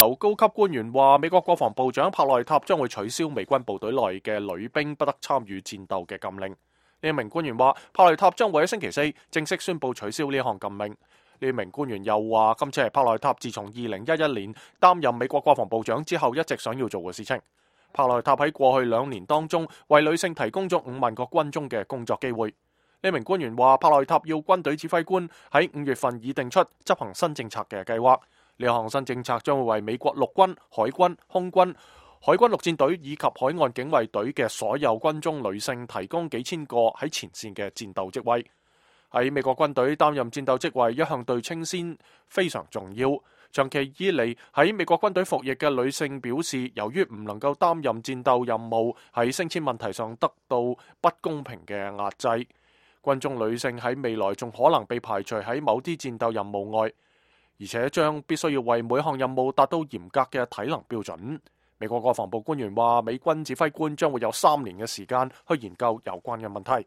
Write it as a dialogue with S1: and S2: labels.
S1: 有高級官員話，美國國防部長帕內塔將會取消美軍部隊內嘅女兵不得參與戰鬥嘅禁令。呢一名官員話，帕內塔將會喺星期四正式宣布取消呢項禁令。呢一名官員又話，今次係帕內塔自從2011年擔任美國國防部長之後一直想要做嘅事情。帕內塔喺過去2年當中為女性提供咗5萬個軍中嘅工作機會。呢名官員話，帕內塔要軍隊指揮官喺5月份擬定出執行新政策嘅計劃。呢項新政策將會為美國陸軍、海軍、空軍、海軍陸戰隊以及海岸警衛隊嘅所有軍中女性提供幾千個喺前線嘅戰鬥職位。喺美國軍隊擔任戰鬥職位一向對稱先非常重要。長期以嚟喺美國軍隊服役嘅女性表示，由於唔能夠擔任戰鬥任務，喺升遷問題上得到不公平嘅壓制。軍中女性喺未來仲可能被排除喺某啲戰鬥任務外，而且將必須要為每項任務達到嚴格嘅體能標準。美國國防部官員話，美軍指揮官將會有3年嘅時間去研究有關嘅問題。